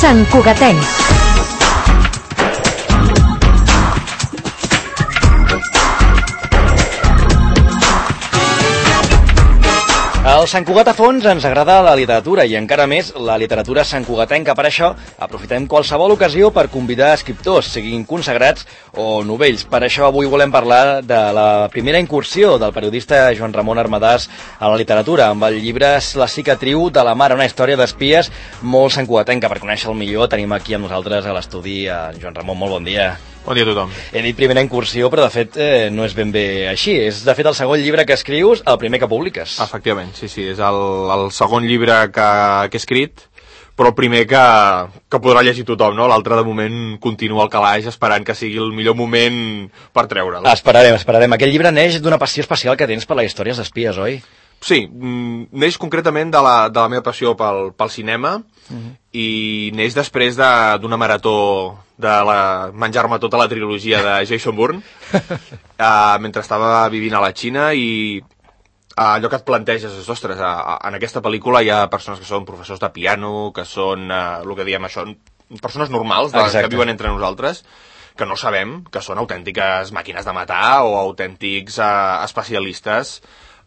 Sant Cugatenc. Al Sant Cugat a fons ens agrada la literatura i encara més la literatura santcugatenca. Per això aprofitem qualsevol ocasió per convidar escriptors, siguin consagrats o novells. Per això avui volem parlar de la primera incursió del periodista Joan Ramon Armadàs a la literatura, amb el llibre La cicatriu de la mare, una història d'espies molt santcugatenca. Per conèixer-el millor tenim aquí amb nosaltres a l'estudi a Joan Ramon. Molt bon dia. Bon dia a tothom. He dit primera incursió, però de fet no és ben bé així. És de fet el segon llibre que escrius, el primer que publiques. Efectivament, sí, és el segon llibre que he escrit, però el primer que podrà llegir tothom, no? L'altre, de moment, continua al calaix esperant que sigui el millor moment per treure'l. Esperarem. Aquest llibre neix d'una passió especial que tens per les històries d'espies, oi? Sí, neix concretament de la meva passió pel cinema i neix després d'una marató de menjar-me tota la trilogia de Jason Bourne mentre estava vivint a la Xina, i allò que et planteges és, ostres, en aquesta pel·lícula hi ha persones que són professors de piano, que són, el que diem això, persones normals que viuen entre nosaltres, que no sabem que són autèntiques màquines de matar o autèntics especialistes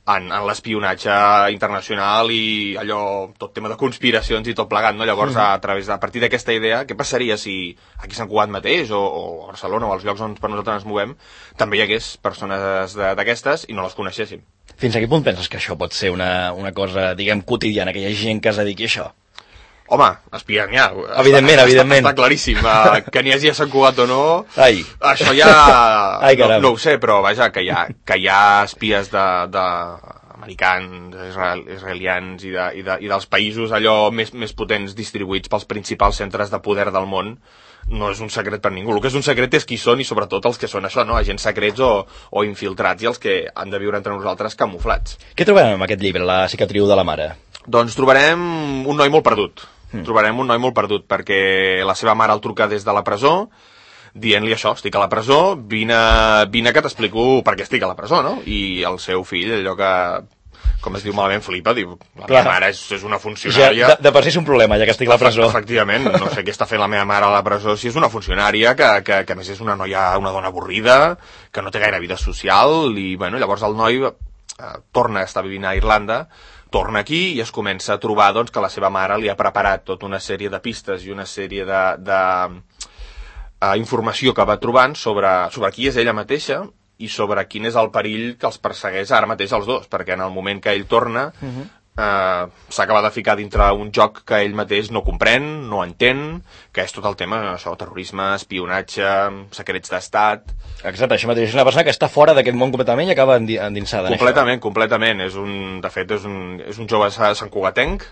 en l'espionatge internacional i allò, tot tema de conspiracions i tot plegat, no? Llavors, a partir d'aquesta idea, què passaria si aquí a Sant Cugat mateix, o a Barcelona, o als llocs on per nosaltres ens movem, també hi hagués persones d'aquestes i no les coneixéssim? Fins a quin punt penses que això pot ser una cosa, diguem, quotidiana, que hi ha gent que es dediqui a això? Home, espia n'hi ha. Evidentment. Està claríssim. Que n'hi hagi a Sant Cugat o no, Ai. Això ja... no ho sé, però vaja, que hi ha espies americans, israelians i dels països allò més potents distribuïts pels principals centres de poder del món. No és un secret per ningú. El que és un secret és qui són i sobretot els que són això, no? Agents secrets o infiltrats, i els que han de viure entre nosaltres camuflats. Què trobem en aquest llibre, La cicatriu de la mare? Doncs trobarem un noi molt perdut. Trobarem un noi molt perdut perquè la seva mare el truca des de la presó dient-li això, estic a la presó, vine que t'explico per què estic a la presó, no? I el seu fill, allò que, com es diu malament, flipa, diu, la meva mare és una funcionària... Ja, de per si és un problema, ja que estic a la presó. Efectivament, no sé què està fent la meva mare a la presó, si és una funcionària que a més és una dona avorrida, que no té gaire vida social, i bueno, llavors el noi torna a estar vivint a Irlanda, torna aquí i es comença a trobar doncs, que la seva mare li ha preparat tota una sèrie de pistes i una sèrie de informació que va trobant sobre qui és ella mateixa i sobre quin és el perill que els persegueix ara mateix els dos, perquè en el moment que ell torna s'acaba de ficar dintre un joc que ell mateix no comprèn, no entén, que és tot el tema, això, terrorisme, espionatge, secrets d'estat... Exacte, això mateix, és una persona que està fora d'aquest món completament i acaba endinsada en això. Completament. De fet, és un jove santcugatenc,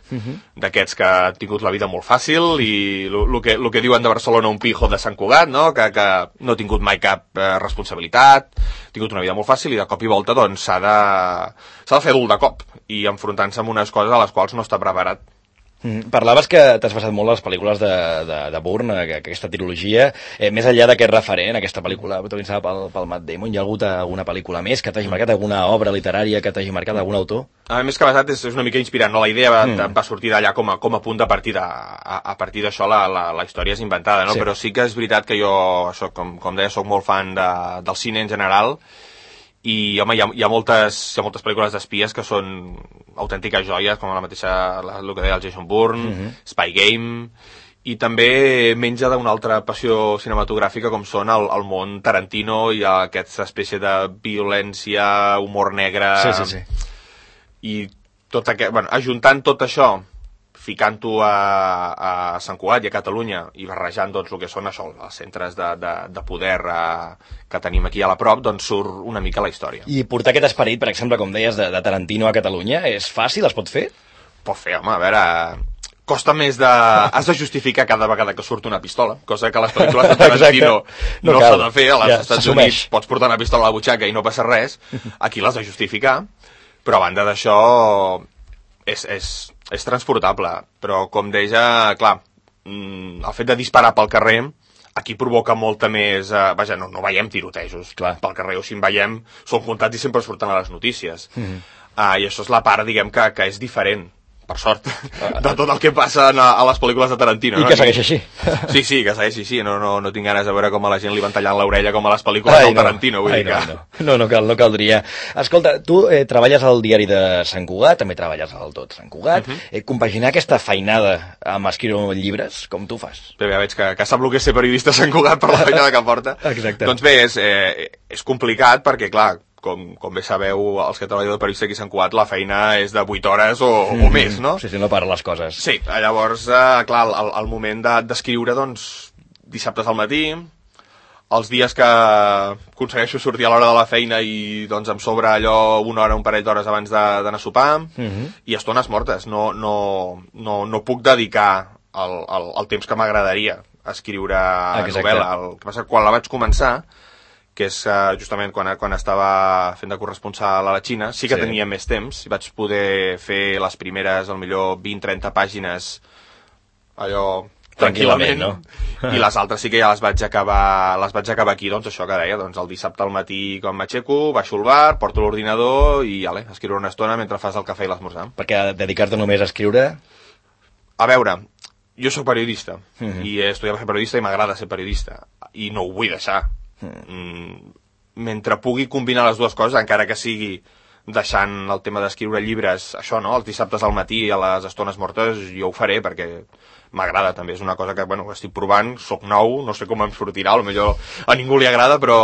d'aquests que ha tingut la vida molt fàcil, i el que diuen de Barcelona un pijo de Sant Cugat, no? Que no ha tingut mai cap responsabilitat, ha tingut una vida molt fàcil i de cop i volta doncs, s'ha de fer adult de cop i enfrontant-se amb unes coses a les quals no està preparat. Parlaves que t'has basat molt en les pel·lícules de Bourne, aquesta trilogia. Més enllà d'aquest referent, aquesta pel·lícula protagonitzada pel Matt Damon, hi ha hagut alguna pel·lícula més que t'hagi marcat, alguna obra literària que t'hagi marcat, algun autor? A més que basat és una mica inspirant, no? La idea va sortir d'allà com a punt de partida. A partir d'això la història és inventada, no? Sí. Però sí que és veritat que jo, com deia, soc molt fan del cine en general, i home, hi ha moltes pel·lícules d'espies que són autèntiques joies, com la mateixa, el que deia el Jason Bourne, Spy Game, i també menja d'una altra passió cinematogràfica com són el món Tarantino i aquesta espècie de violència, humor negre... Sí. I tot aquest, ajuntant tot això, ficant-ho a Sant Cugat i a Catalunya i barrejant doncs, el que són això, els centres de poder que tenim aquí a la prop, doncs surt una mica la història. I portar aquest esperit, per exemple, com deies, de Tarantino a Catalunya, és fàcil? Es pot fer? Pot fer, home, a veure... Costa més de... Has de justificar cada vegada que surt una pistola, cosa que a les pel·lícules de Tarantino no s'ha de fer. A les Estats Units pots portar una pistola a la butxaca i no passa res. Aquí l'has de justificar. Però a banda d'això és transportable. Però, com deia, clar, el fet de disparar pel carrer aquí provoca molta més... Vaja, no veiem tirotejos pel carrer, o si en veiem són comptats i sempre surten a les notícies. I això és la part, diguem, que és diferent. per sort, de tot el que passa a les pel·lícules de Tarantino. I que segueix així. Sí, que segueix així. No tinc ganes de veure com a la gent li van tallant l'orella com a les pel·lícules del Tarantino. Vull dir que... No caldria. Escolta, tu treballes al diari de Sant Cugat, també treballes al Tot Sant Cugat. Compaginar aquesta feinada amb escriure llibres, com tu fas? Bé, ja veig que sap el que és ser periodista a Sant Cugat per la feinada que porta. Exacte. Doncs bé, és complicat perquè, clar, com bé sabeu, els que treballeu de periodista aquí a Sant Cugat, la feina és de 8 hores o més, no? Sí, no para les coses. Sí, llavors, clar, el moment d'escriure, doncs, dissabtes al matí, els dies que aconsegueixo sortir a l'hora de la feina i doncs em sobra allò una hora, un parell d'hores abans d'anar a sopar, i estones mortes. No puc dedicar el temps que m'agradaria a escriure novel·la. El que passa que quan la vaig començar, que és justament quan estava fent de corresponsal a la Xina, sí que tenia més temps i vaig poder fer les primeres, al millor 20-30 pàgines allò tranquil·lament, no? I les altres sí que ja les vaig acabar aquí, doncs això que deia, doncs el dissabte al matí quan m'aixeco, baixo al bar, porto l'ordinador i escriure una estona mentre fas el cafè i l'esmorzar. Perquè dedicar-te només a escriure... A veure, jo sóc periodista i he estudiat per ser periodista i m'agrada ser periodista i no ho vull deixar. Mentre pugui combinar les dues coses, encara que sigui deixant el tema d'escriure llibres, això, no?, els dissabtes al matí a les estones mortes, jo ho faré perquè m'agrada també, és una cosa que, estic provant, soc nou, no sé com em sortirà, potser a ningú li agrada, però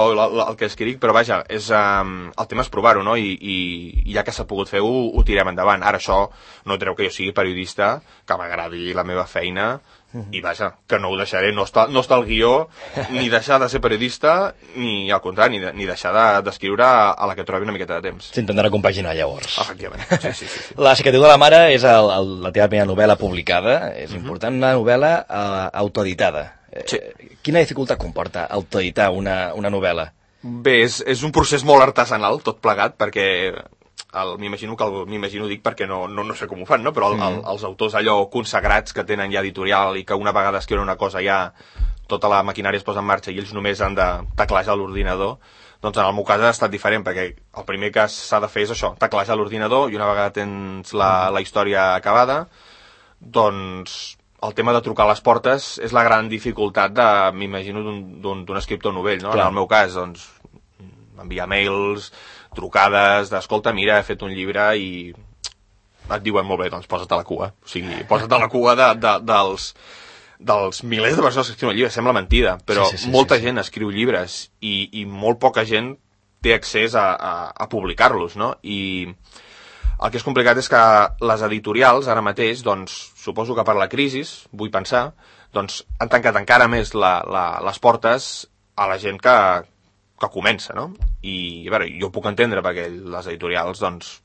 el que escric, però vaja, el tema és provar-ho, no?, i ja que s'ha pogut fer ho tirem endavant. Ara això no treu que jo sigui periodista, que m'agradi la meva feina, i vaja, que no ho deixaré, no està al guió ni deixar de ser periodista ni al contrari, ni deixar d'escriure a la que trobi una miqueta de temps. S'intentarà compaginar llavors. Efectivament, sí. La cicatriu de la mare és la teva primera novel·la publicada, és important, una novel·la autoeditada. Sí. Quina dificultat comporta autoeditar una novel·la? Bé, és un procés molt artesanal, tot plegat, perquè m'imagino dic perquè no sé com ho fan, no? Però els autors allò consagrats que tenen ja editorial i que una vegada escriuen una cosa ja tota la maquinària es posa en marxa i ells només han de teclejar l'ordinador, doncs en el meu cas ha estat diferent perquè el primer que s'ha de fer és això, teclejar l'ordinador i una vegada tens la història acabada, doncs el tema de trucar a les portes és la gran dificultat m'imagino d'un escriptor novell, no? En el meu cas, doncs enviar mails, trucades d'escolta, mira, he fet un llibre i et diuen molt bé, doncs posa't a la cua. O sigui, posa't a la cua dels milers de persones que escriuen llibres. Sembla mentida, però molta gent escriu llibres i molt poca gent té accés a publicar-los, no? I el que és complicat és que les editorials, ara mateix, doncs, suposo que per la crisi, vull pensar, doncs han tancat encara més les portes a la gent que comença, no? I, a veure, jo ho puc entendre perquè les editorials, doncs,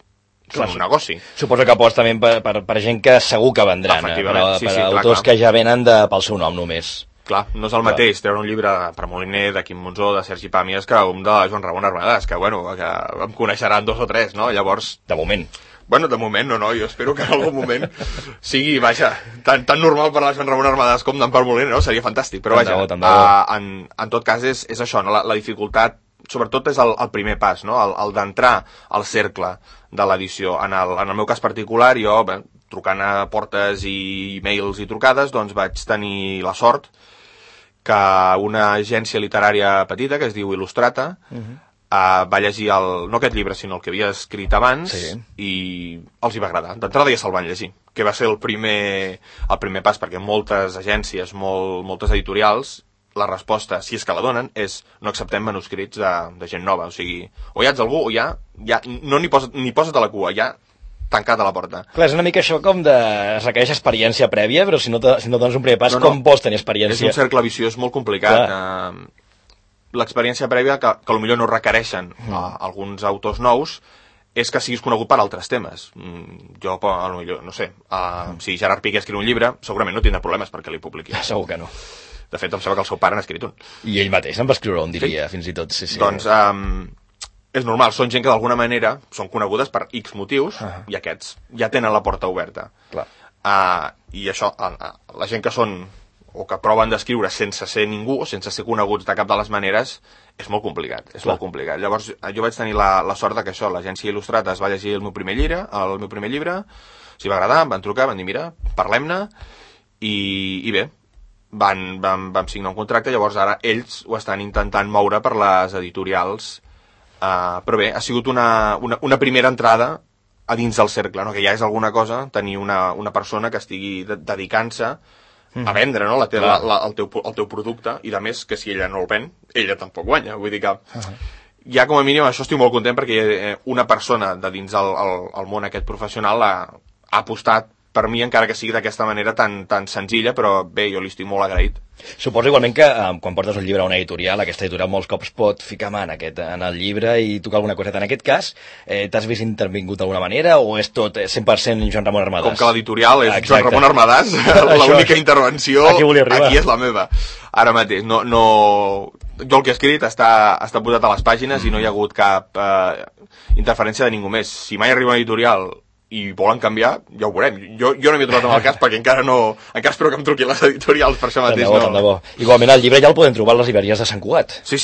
són un negoci. Suposo que aposta també per gent que segur que vendran, per autors que ja venen pel seu nom només. Clar, no és el mateix treure un llibre per Moliner, de Quim Monzó, de Sergi Pàmies, que un de Joan Ramon Armadàs, que em coneixeran 2 o 3, no? Llavors... De moment. Bueno, de moment no, jo espero que en algun moment sigui, vaja, tan normal per la Joan Ramon Armadàs com per Moliner, no? Seria fantàstic, però vaja, en tot cas és això, no? La dificultat, sobretot és el primer pas, no? El d'entrar al cercle de l'edició. En el meu cas particular, jo, trucant a portes i mails i trucades, doncs vaig tenir la sort que una agència literària petita, que es diu Il·lustrata, va llegir no aquest llibre, sinó el que havia escrit abans, i els hi va agradar. D'entrada ja se'l van llegir, que va ser el primer pas, perquè moltes agències, moltes editorials, la resposta, si és que la donen, és no acceptem manuscrits de gent nova. O sigui, o ja ets algú, o ja no ni posa't a la cua, ja tancat a la porta. Clar, és una mica això com es requereix experiència prèvia, però si no dones un primer pas, com vols tenir experiència? És un cercle viciós molt complicat. L'experiència prèvia, que potser no requereixen alguns autors nous, és que siguis conegut per altres temes. Jo, potser, no sé, si Gerard Piqué escriu un llibre, segurament no tindrà problemes perquè li publiqui. Segur que no. De fet, em sembla que el seu pare n'ha escrit un. I ell mateix en va escriure un, diria, fins i tot. Sí. Doncs és normal, són gent que d'alguna manera són conegudes per X motius i aquests ja tenen la porta oberta. Clar. I això, la gent que són o que proven d'escriure sense ser ningú, sense ser coneguts de cap de les maneres, és molt complicat, molt complicat. Llavors, jo vaig tenir la sort que això, l'agència Il·lustrata es va llegir el meu primer llibre, s'hi va agradar, em van trucar, van dir, mira, parlem-ne, i bé, vam signar un contracte, llavors ara ells ho estan intentant moure per les editorials, però bé, ha sigut una primera entrada a dins del cercle, no? Que ja és alguna cosa tenir una persona que estigui dedicant-se a vendre, no? el teu producte, i a més que si ella no el ven, ella tampoc guanya, vull dir que ja com a mínim això estic molt content perquè una persona de dins el món aquest professional ha apostat per mi, encara que sigui d'aquesta manera tan senzilla, però bé, jo li estic molt agraït. Suposo igualment que quan portes un llibre a una editorial, aquesta editorial molts cops pot ficar mà en el llibre i tocar alguna coseta. En aquest cas, t'has vist intervingut d'alguna manera o és tot 100% Joan Ramon Armadàs? Com que l'editorial és Joan Ramon Armadàs, l'única intervenció aquí és la meva. Ara mateix, no, jo el que he escrit està posat a les pàgines i no hi ha hagut cap interferència de ningú més. Si mai arriba una editorial i volen canviar, ja ho veurem. Jo no m'he trobat amb el cas perquè encara espero que em truquin les editorials, per això mateix tant de bo. Igualment el llibre ja el podem trobar a les llibreries de Sant Cugat. Sí,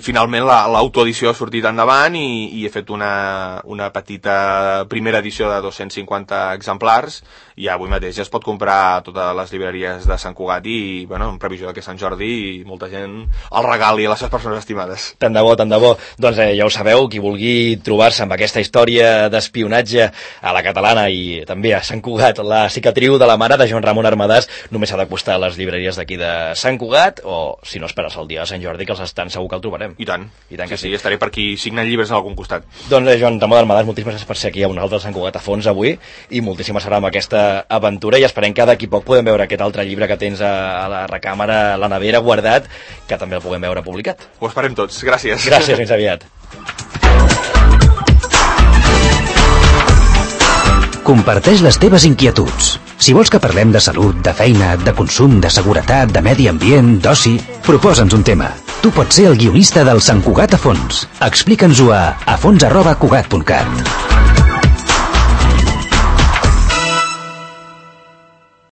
finalment l'autoedició ha sortit endavant i he fet una petita primera edició de 250 exemplars i avui mateix ja es pot comprar a totes les llibreries de Sant Cugat i, bueno, en previsió que Sant Jordi i molta gent el regali a les seves persones estimades. Tant de bo. Doncs ja ho sabeu, qui vulgui trobar-se amb aquesta història d'espionatge a la catalana i també a Sant Cugat, la cicatriu de la mare de Joan Ramon Armadàs, només s'ha d'acostar a les llibreries d'aquí de Sant Cugat o, si no, esperes el dia de Sant Jordi, que els estan segur que el trobarem. I tant que sí. Estaré per aquí signant llibres en algun costat. Doncs Joan Ramon Armadàs, moltíssimes gràcies per ser aquí a un altre Sant Cugat a fons avui i moltíssimes serà amb aquesta aventura i esperem que d'aquí poc podem veure aquest altre llibre que tens a la recàmera, a la nevera, guardat, que també el puguem veure publicat. Ho esperem tots. Gràcies. Gràcies, fins aviat. Comparteix les teves inquietuds. Si vols que parlem de salut, de feina, de consum, de seguretat, de medi ambient, d'oci, proposa'ns un tema. Tu pots ser el guionista del Sant Cugat a fons. Explica'ns-ho a fons@cugat.cat.